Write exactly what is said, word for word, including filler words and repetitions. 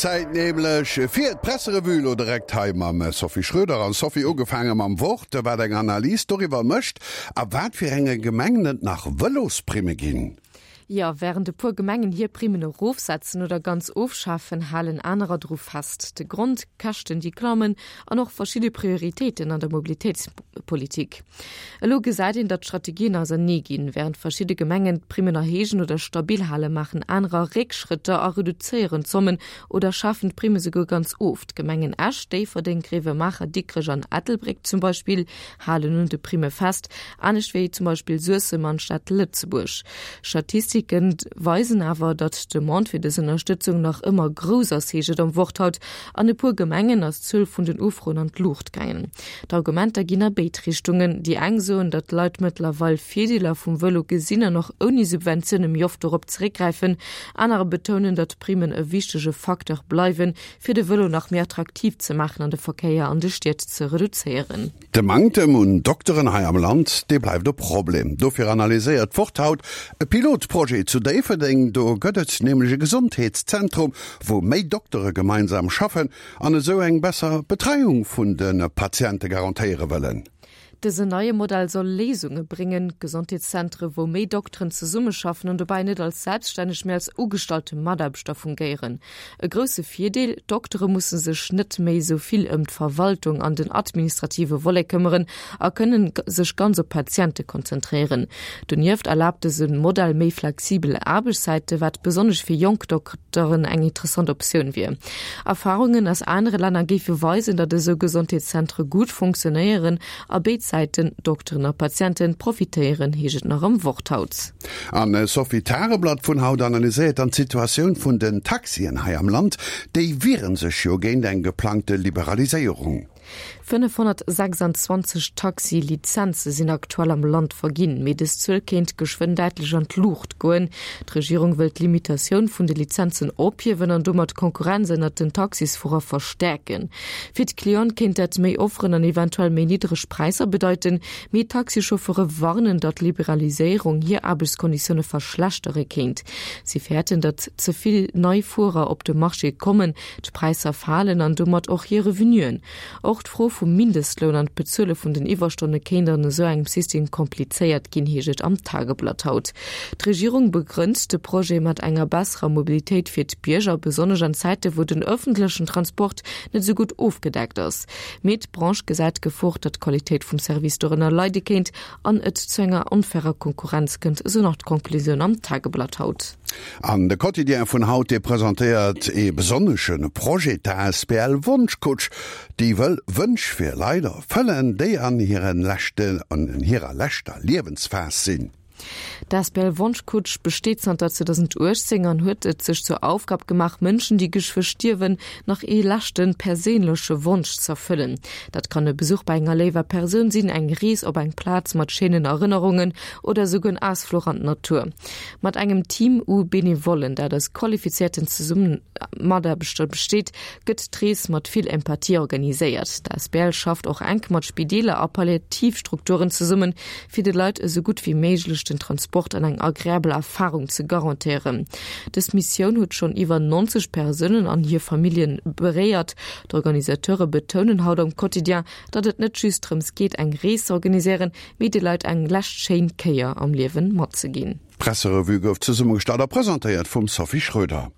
Zäit nämlech fir d'Presserevue elo direkt hei mam Sophie Schröder. An Sophie, ugefaange mam Wort, wat eng Analys doriwwer mécht, a wat fir enge Gemengen et nach Vëlosprimme ginn. Jo, wärend e puer Gemengen hir Primmen erofsetzen oder ganz ofschafen, halen anerer dru fest. De Grond, Käschten, déi klammen an och verschidde Prioritéiten an der Mobilitéitspolitik. Elo gesäit een, datt d'Strategien ausernee ginn. Wärend verschidde Gemengen d'Primmen erhéijen oder stabil halen, maachen anerer Réckschrëtter a reduzéieren d'Zommen oder schafen d'Primme souguer ganz of. D'Gemengen Esch, Déifferdeng, Gréiwemaacher, Dikrech an Ettelbréck zum Beispill halen un de Primme fest, anescht wéi zum Beispill Suessem an d'Stad Lëtzebuerg. Statistike weisen awer, datt d'Demande fir dës Ënnerstëtzung nach ëmmer grouss ass, heescht et am Wort haut. An e puer Gemengen ass d'Zuel vun den Ufroen an d'Luucht gaangen. D'Argumenter ginn a béid Richtungen. Déi eng soen, datt d'Leit mëttlerweil Virdeeler vum Vëlo gesinn an och ouni Subventioune méi oft dorop zeréckgräifen. Anerer betounen, datt d'Primmen e wichtege Facteur bleiwen, fir de Vëlo nach méi attraktiv ze maachen an de Verkéier an de Stied ze reduzéieren. De Manktem un Dokteren hei am Land, dee bleift e Problem. Dofir analyséiert d'Wort haut e Pilotprojet zu Déifferdeng. Do gëtt et nämlech e Gesondheetszentrum, wou méi Doktere gemeinsam schaffen an esou eng besser Betreiung vun de Patiente garantéiere wëllen. Dësen neie Modell soll Léisunge bréngen, Gesondheetszentre wou méi Dokteren zesummeschaffen an dobäi net als Selbststänneg, mee als ugestallte Mataarbechter fungéieren. E grousse Virdeel, D'Doktere musse sech net méi esou vill ëm d'Verwaltung an den administrative Volet këmmeren a kënnen sech ganz op d'Patiente konzentréieren. Donieft erlaabt dëse Modell méi flexibel Aarbechtszäite, wat besonnesch fir jonk Dokteren eng interessant Optioun wier. Erfarungen aus anere Länner géife weisen, datt esou Gesondheetszentre gutt funktionéieren a béid Säiten, Dokteren a Patienten, profitéieren, heescht et nach am Wort haut. An Sophie, d'Tageblatt vun haut analyséiert dann d'Situatioun vun den Taxien hei am Land. Déi wiere sech jo géint eng geplangte Liberaliséierung. fënnefhonnertsechsandzwanzeg Taxi-Lizenze sinn aktuell am Land verginn, mee dës Zuel kéint geschwënn däitlech an d'Luucht goen. D'Regierung wëll d'Limitatioun vun de Lizenzen ophiewen an domat d'Konkurrenz ënnert den Taxisfuerer verstäerken. Fir d'Cliente kéint dat méi Offeren an eventuell méi niddreg Präisser bedeiten, mee d'Taxichauffeure warnen, datt d'Liberaliséierung hir Aarbechtskonditioune verschlechtere kéint. Si fäerten, datt ze vill nei Fuerer op de Marché kommen, d'Präisser falen an domat och hir Revenuen. Och d'Fro vum Mindestloun an d'Bezuele vun den Iwwerstonne kéint an esou engem System komplizéiert ginn, heescht et am Tageblatt haut. D'Regierung begrënnt de Projet mat enger besserer Mobilitéit fir d'Bierger, besonnesch an Zäite wou den ëffentlechen Transport net esou gutt ofgedeckt ass. Mee d'Branche gesäit d'Gefor, datt d'Qualitéit vum Service dorënner leide kéint an et zu enger onfairer Konkurrenz kënnt, esou nach d'Konklusioun am Tageblatt haut. An de Quotidien vun haut, dee presentéiert ee besonnesche Projet, d'A S B L Wonschkutsch, déi wëll Wënsch fir Leit erfëllen, déi an hiren leschten, an hirer leschter Liewensphas sinn. D'A S B L Wonschkutsch besteet zanter zweedausenduechtzéng an huet et sech zur Aufgab gemaach, Mënschen, déi geschwë stierwen, nach ee leschte perséinleche Wonsch z'erfëllen. Dat kann e Besuch bei enger léiwer Persoun sinn, eng Rees op eng Plaz mat schéinen Erënnerungen oder esouguer en Ausfluch an d'Natur. Mat engem Team u Benevollen, dat aus qualifizéierten Zesummemataarbechter besteet, gëtt d'Rees mat vill Empathie organiséiert. D'A S B L schafft och enk mat Spideeler a Palliativstrukturen zesummen, fir de Leit esou gutt wéi méiglech den Transport an eng agreabel Erfarung ze garantéieren. Dës Missioun huet schonn iwwer neunzeg Persounen an hir Familljen beréiert. D'Organisateure betounen haut am Quotidien, datt et net just drëms geet, eng Rees ze organiséieren, mee de Leit eng lescht schéin Kéier am Liewen matzeginn. D'Presserevue gouf zesummegestallt a presentéiert vum Sophie Schröder.